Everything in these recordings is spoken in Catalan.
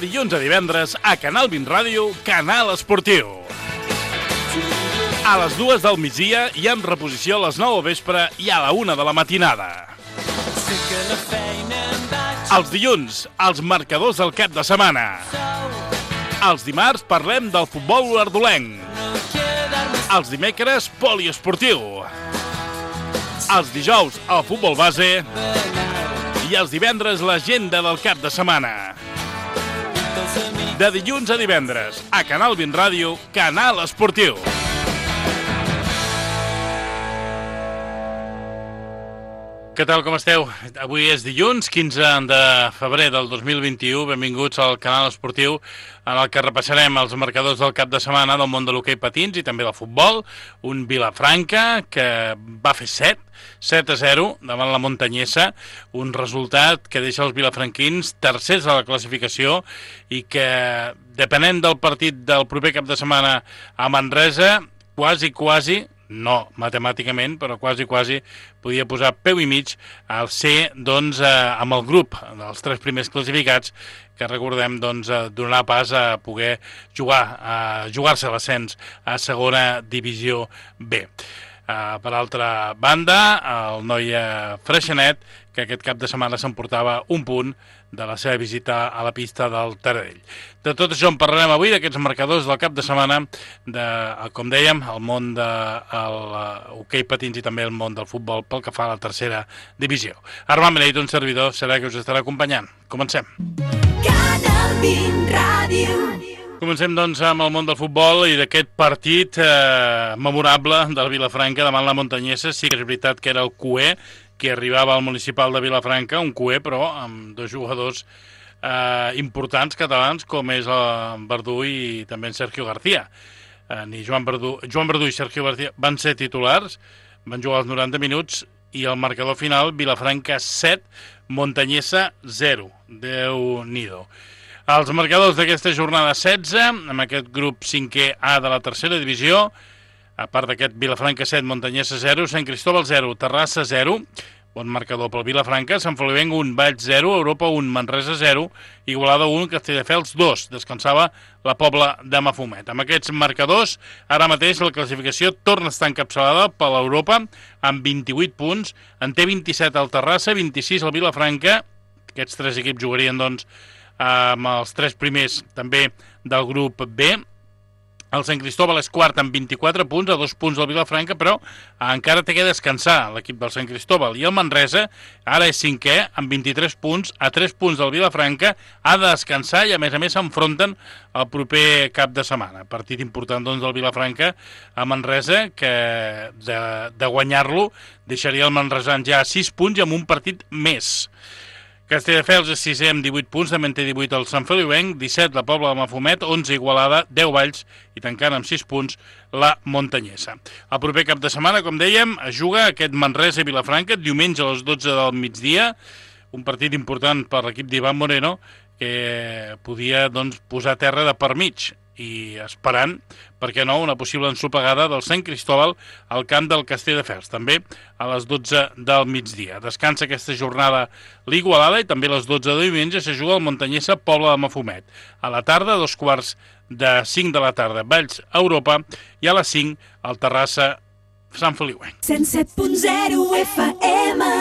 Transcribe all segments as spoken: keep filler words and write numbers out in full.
dilluns a divendres a Canal vint Ràdio, Canal Esportiu. A les dues del migdia i en reposició a les nou del vespre i a la una de la matinada. Els dilluns, els marcadors del cap de setmana. Els dimarts parlem del futbol olordolenc. Els dimecres, poliesportiu. Els dijous, el futbol base. I els divendres, l'agenda del cap de setmana. De dilluns a divendres, a Canal vint Ràdio, Canal Esportiu. Què tal, com esteu? Avui és dilluns, quinze de febrer del dos mil vint-i-u. Benvinguts al Canal Esportiu, en el que repassarem els marcadors del cap de setmana del món de l'hoquei patins i també del futbol. Un Vilafranca que va fer set, set a zero davant la Montanyesa, un resultat que deixa els vilafranquins tercers a la classificació i que, depenent del partit del proper cap de setmana a Manresa, quasi, quasi, no matemàticament, però quasi, quasi podia posar peu i mig al ser, doncs, eh, amb el grup dels tres primers classificats, que recordem, doncs, eh, donarà pas a poder jugar, a jugar-se l'ascens a segona divisió B. Uh, per altra banda, el noia Freixenet, que aquest cap de setmana s'emportava un punt de la seva visita a la pista del Taradell. De tot això en parlarem avui, d'aquests marcadors del cap de setmana, de, com dèiem, el món del hoquei patins i també el món del futbol pel que fa a la tercera divisió. Armand Beneit, un servidor, serà que us estarà acompanyant. Comencem. Canal vint Ràdio. Comencem, doncs, amb el món del futbol i d'aquest partit eh, memorable del Vilafranca davant la Montanyesa. Sí que és veritat que era el Cué que arribava al municipal de Vilafranca, un Cué, però amb dos jugadors eh, importants catalans, com és el Verdú i també en Sergio García. Eh, ni Joan Verdú, Joan Verdú i Sergio García van ser titulars, van jugar els noranta minuts i el marcador final, Vilafranca set, Montanyesa zero. Déu-n'hi-do. Els marcadors d'aquesta jornada setze, amb aquest grup cinquè A de la tercera divisió, a part d'aquest Vilafranca set, Montanyesa zero, Sant Cristóbal zero, Terrassa zero, bon marcador pel Vilafranca, Sant Feliuenc un, Valls zero, Europa un, Manresa zero, Igualada un, Castelldefels dos, descansava la Pobla de Mafumet. Amb aquests marcadors, ara mateix la classificació torna a estar encapçalada per l'Europa amb vint-i-vuit punts, en té vint-i-set al Terrassa, vint-i-sis al Vilafranca, aquests tres equips jugarien, doncs, amb els tres primers també del grup B. El Sant Cristóbal és quart amb vint-i-quatre punts, a dos punts del Vilafranca, però encara té que descansar l'equip del Sant Cristóbal. I el Manresa ara és cinquè amb vint-i-tres punts, a tres punts del Vilafranca, ha de descansar i a més a més s'enfronten el proper cap de setmana. Partit important, doncs, del Vilafranca a Manresa, que de, de guanyar-lo deixaria el Manresans ja a sis punts i amb un partit més. Castelldefels és sisè amb divuit punts, també en té divuit el Sant Feliuenc, disset la Pobla de Mafumet, onze Igualada, deu Valls i tancant amb sis punts la Montanyesa. El proper cap de setmana, com dèiem, es juga aquest Manresa i Vilafranca, diumenge a les dotze del migdia, un partit important per l'equip d'Ivan Moreno, que podia, doncs, posar terra de per mig i esperant, per què no, una possible ensopegada del Sant Cristóbal al camp del Castelldefels, també a les dotze del migdia. Descansa aquesta jornada l'Igualada i també a les dotze de diumenge se juga el Montanyesa Pobla de Mafumet. A la tarda, dos quarts de cinc de la tarda, Valls Europa, i a les cinc el Terrassa Sant Feliuenc. cent set punt zero F M.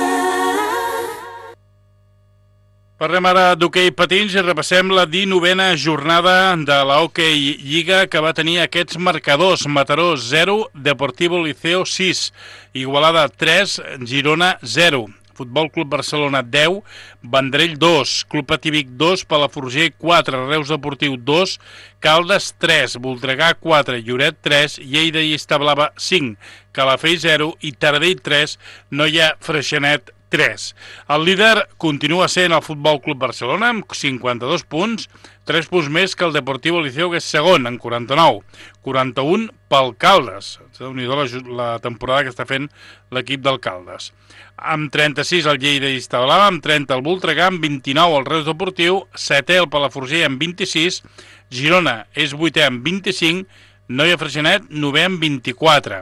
Parlem ara d'hoquei patins i repassem la dinovena jornada de la Hockey Lliga, que va tenir aquests marcadors. Mataró zero, Deportivo Liceo sis, Igualada tres, Girona zero, Futbol Club Barcelona deu, Vendrell dos, Club Patí Vic dos, Palafrugell quatre, Reus Deportiu dos, Caldes tres, Voltregà quatre, Lloret tres, Lleida i Establava cinc, Calafell zero i Taradell tres, Noia Freixenet tres. El líder continua sent el Futbol Club Barcelona amb cinquanta-dos punts, tres punts més que el Deportivo Liceo, que és segon, amb quaranta-nou. quaranta-un pel Caldes. Déu-n'hi-do la, la temporada que està fent l'equip del Caldes. Amb trenta-sis el Lleida i Establava, amb trenta el Voltregà, amb vint-i-nou el Reus Deportiu, setè el Palafrugell amb vint-i-sis, Girona és vuitè amb vint-i-cinc, Noia Freixenet, novè amb vint-i-quatre.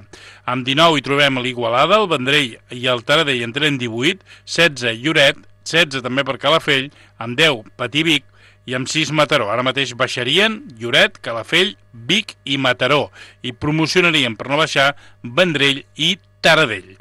Amb dinou hi trobem l'Igualada, el Vendrell i el Taradell en tenen divuit, setze Lloret, setze també per Calafell, amb deu Patí Vic i amb sis Mataró. Ara mateix baixarien Lloret, Calafell, Vic i Mataró, i promocionarien per no baixar Vendrell i Taradell.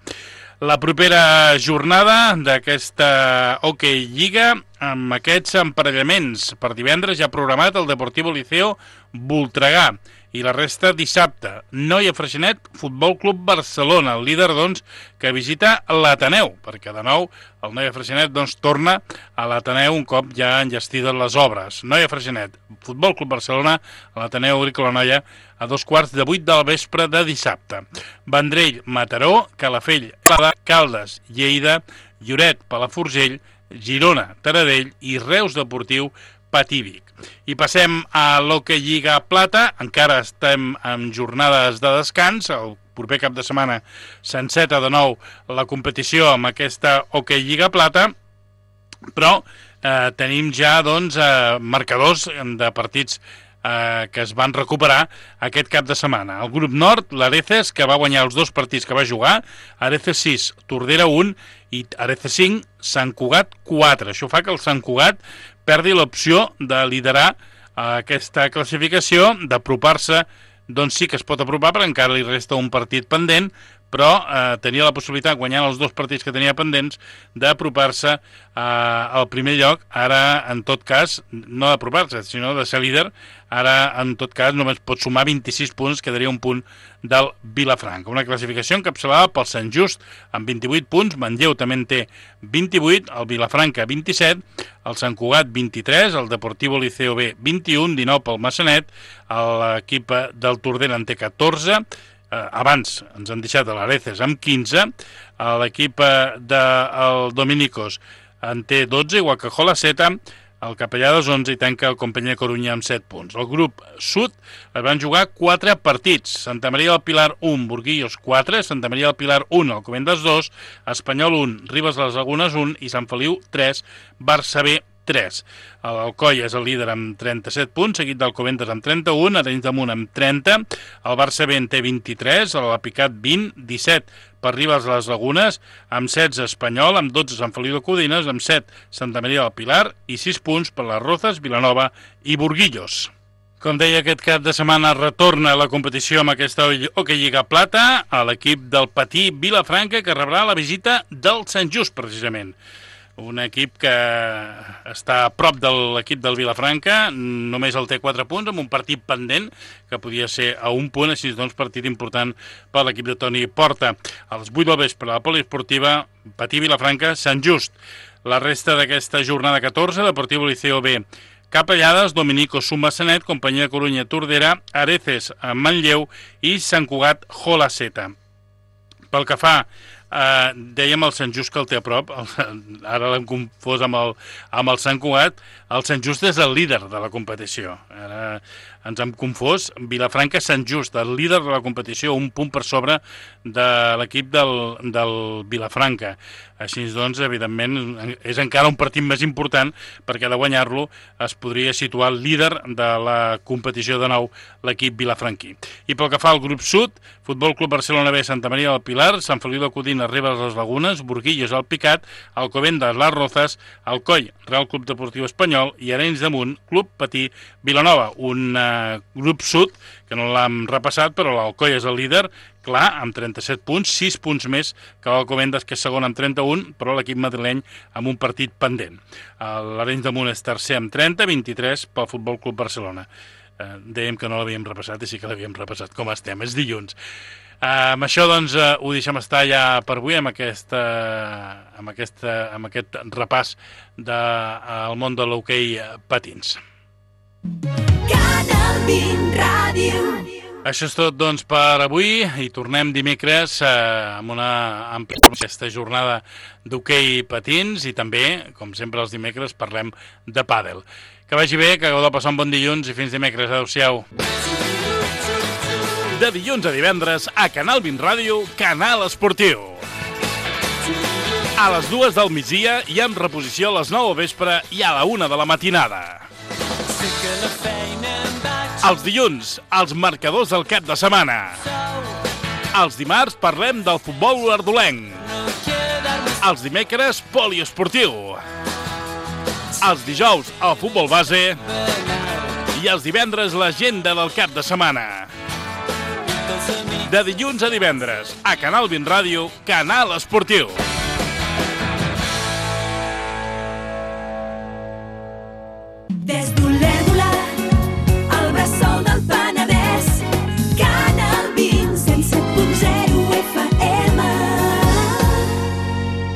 La propera jornada d'aquesta Hockey Lliga, amb aquests emparellaments. Per divendres ja ha programat el Deportivo Liceo Voltregà, i la resta dissabte. Noia Freixenet, Futbol Club Barcelona, el líder, doncs, que visita l'Ateneu, perquè de nou el Noia Freixenet, doncs, torna a l'Ateneu un cop ja enllestides les obres. Noia Freixenet, Futbol Club Barcelona, a l'Ateneu Agrícola Noia, a dos quarts de vuit del vespre de dissabte. Vendrell, Mataró, Calafell, Caldes, Lleida, Lloret, Palafrugell, Girona, Taradell i Reus Deportiu, Patí-Vic. I passem a l'Hockey Lliga Plata. Encara estem en jornades de descans. El proper cap de setmana s'enceta de nou la competició amb aquesta Hockey Lliga Plata, però eh, tenim ja doncs, eh, marcadors de partits eh, que es van recuperar aquest cap de setmana. El grup nord, l'Areces, que va guanyar els dos partits que va jugar, Areces sis, Tordera un i Areces cinc, Sant Cugat quatre. Això fa que el Sant Cugat perdi l'opció de liderar aquesta classificació, d'apropar-se, doncs sí que es pot apropar, però encara li resta un partit pendent, però eh, tenia la possibilitat, guanyant els dos partits que tenia pendents, d'apropar-se eh, al primer lloc. Ara, en tot cas, no d'apropar-se, sinó de ser líder. Ara, en tot cas, només pot sumar vint-i-sis punts, quedaria un punt del Vilafranca. Una classificació encapçalada pel Sant Just amb vint-i-vuit punts, Manlleu també en té vint-i-vuit, el Vilafranca vint-i-set, el Sant Cugat vint-i-tres, el Deportivo Liceo B vint-i-un, dinou pel Massanet, l'equip del Tordera en té catorze, eh, abans ens han deixat a l'Areces amb quinze, l'equip del Dominicos en té dotze, igual que Jolaseta, el Capellades onze i tanca el Companyia Corunya amb set punts. El grup sud es van jugar quatre partits. Santa Maria del Pilar un, Burguillos quatre, Santa Maria del Pilar un, Alcobendas dos, Espanyol un, Ribes de les Lagunes un i Sant Feliu tres, Barça B tres. L'Alcoi és el líder amb trenta-set punts, seguit d'Alcobendas amb trenta-un, Arenys de Munt amb trenta, el Barça B en té vint-i-tres, l'Apicat vint, disset per Ribes de les Lagunes, amb setze Espanyol, amb dotze Sant Feliu de Codines, amb set Santa Maria del Pilar i sis punts per les Rozas, Vilanova i Burguillos. Com deia, aquest cap de setmana retorna a la competició amb aquesta Hockey Lliga Plata a l'equip del Patí Vilafranca, que rebrà la visita del Sant Just, precisament. Un equip que està a prop de l'equip del Vilafranca, només el té quatre punts, amb un partit pendent, que podia ser a un punt, així doncs partit important per l'equip de Toni Porta. A les vuit del vespre, la poliesportiva Patí Vilafranca, Sant Just. La resta d'aquesta jornada catorze, Deportivo Liceo B, Capellades, Dominico Massanet, Companyia de Corunya Tordera, Areces Manlleu i Sant Cugat Jolaseta. Pel que fa, eh, dèiem el Sant Just que el té a prop, el, ara l'hem confós amb el, amb el Sant Cugat. El Sant Just és el líder de la competició. Ara ens hem confós. Vilafranca, Sant Just, el líder de la competició, un punt per sobre de l'equip del, del Vilafranca. Així doncs, evidentment, és encara un partit més important, perquè de guanyar-lo es podria situar el líder de la competició de nou, l'equip vilafranquí. I pel que fa al grup sud, Futbol Club Barcelona B, Santa Maria del Pilar, Sant Feliu de Codines, Ribes de les Lagunes, Burguillos, el Picat, Alcobendas, les Rozas, Alcoi, Real Club Deportiu Espanyol i Arenys de Munt, Club Patí, Vilanova. Un uh, grup sud que no l'hem repassat, però l'Alcoi és el líder, clar, amb trenta-set punts, sis punts més que l'Alcobendas, que és segon amb trenta-un, però l'equip madrileny amb un partit pendent. L'Arenys de Munt és tercer amb trenta, vint-i-tres pel Futbol Club Barcelona. Eh, dèiem que no l'havíem repassat i sí que l'havíem repassat. Com estem? És dilluns. Uh, amb això, doncs, uh, ho deixem estar ja per avui, amb, aquesta, amb, aquesta, amb aquest repàs del uh, món de l'hoquei patins. Canal vint Ràdio. Això és tot, doncs, per avui, i tornem dimecres uh, amb una àmplia aquesta jornada d'hoquei patins, i també, com sempre els dimecres, parlem de pàdel. Que vagi bé, que hagueu de passar un bon dilluns i fins dimecres. Adéu-siau. De dilluns a divendres, a Canal vint Ràdio, Canal Esportiu. A les dues del migdia i amb reposició a les nou del vespre i a la una de la matinada. Els dilluns, els marcadors del cap de setmana. Els dimarts parlem del futbol ardolenc. Els dimecres, poliesportiu. Els dijous, el futbol base. I els divendres, l'agenda del cap de setmana. De dilluns a divendres, a Canal vint Ràdio, Canal Esportiu.